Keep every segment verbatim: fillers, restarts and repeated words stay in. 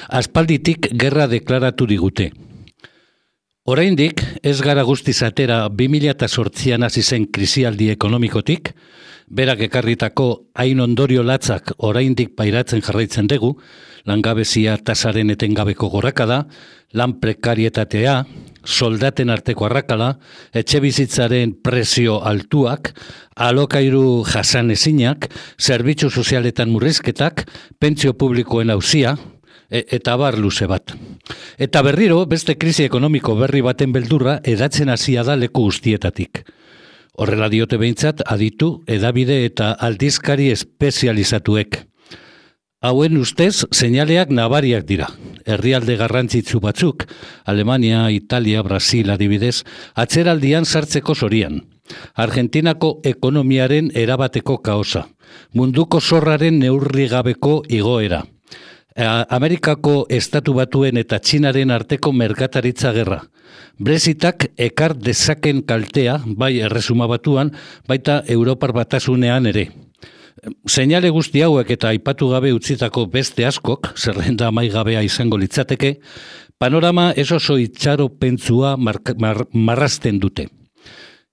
Aspalditik gerra deklaratu digute. Oraindik ez gara guztiz atera bi mila zortzian hasi zen krisialdi ekonomikotik, berak ekarritako hain ondorio latzak oraindik pairatzen jarraitzen dugu, langabezia tasaren etengabeko gorakada, lan prekarietatea, soldaten arteko arrakala, etxebizitzaren prezio altuak, alokairu jasan ezinak, zerbitzu sozialetan murrizketak, pentsio publikoen auzia, e, eta bar luze bat. Eta berriro, beste krisi ekonomiko berri baten beldurra edatzen hasia da leku guztietatik. Horrela diote behintzat aditu, edabide eta aldizkari espezializatuek. Hauen ustez, seinaleak nabariak dira. Herrialde garrantzitsu batzuk, Alemania, Italia, Brasil adibidez, atzeraldian sartzeko zorian. Argentinako ekonomiaren erabateko kaosa. Munduko zorraren neurrigabeko igoera. Amerikako estatu batuen eta Txinaren arteko merkataritza gerra. Brexitak ekar dezaken kaltea, bai erresuma batuan, baita Europar batasunean ere. Seinale guzti hauek eta aipatu gabe utzitako beste askok, zerrenda amaigabea izango litzateke, panorama ez oso itxaropentsua mar, mar, marrazten dute.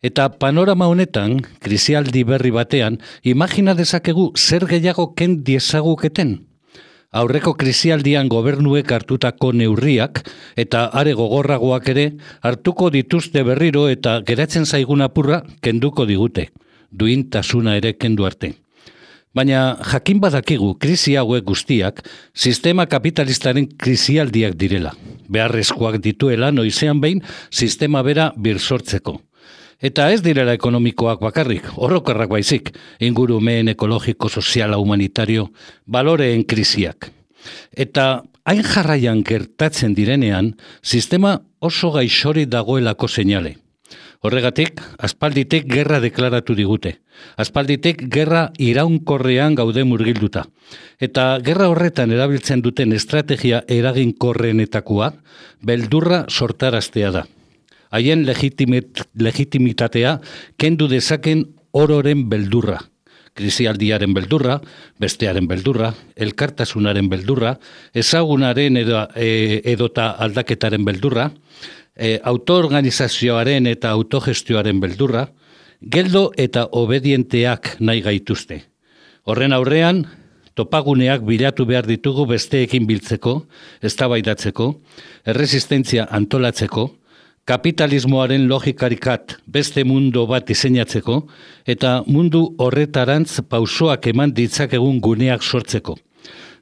Eta panorama honetan, krisialdi berri batean, imagina dezakegu zer gehiago ken diezaguketen. Aurreko krisialdian gobernuek hartutako neurriak eta are gogorragoak ere hartuko dituzte berriro eta geratzen zaigun apurra kenduko digute, duintasuna ere kendu arte. Baina jakin badakigu krisi hauek guztiak sistema kapitalistaren krisialdiak direla, beharrezkoak dituela noizean behin sistema bera birsortzeko. Eta ez direla ekonomikoak bakarrik, orokorrak baizik, ingurumen ekologiko, soziala, humanitario, baloreen krisiak. Eta hain jarraian gertatzen direnean, sistema oso gaixori dagoelako seinale. Horregatik, aspalditek gerra deklaratu digute. Aspalditek gerra iraunkorrean gaude murgilduta. Eta gerra horretan erabiltzen duten estrategia eraginkorrenetakoa, beldurra sortaraztea da. Haien legitimit, legitimitatea kendu dezaken ororen beldurra. Krisialdiaren beldurra, bestearen beldurra, elkartasunaren beldurra, ezagunaren edo, e, edota aldaketaren beldurra, e, autoorganizazioaren eta autogestioaren beldurra, geldo eta obedienteak nahi gaituzte. Horren aurrean, topaguneak bilatu behar ditugu besteekin biltzeko, eztabaidatzeko, erresistentzia antolatzeko, kapitalismoaren logikarikat beste mundu bat diseinatzeko eta mundu horretarantz pausoak eman ditzakegun guneak sortzeko.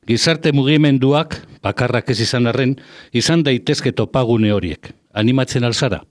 Gizarte mugimenduak, bakarrak ez izan arren, izan daitezke topagune horiek. Animatzen alzara?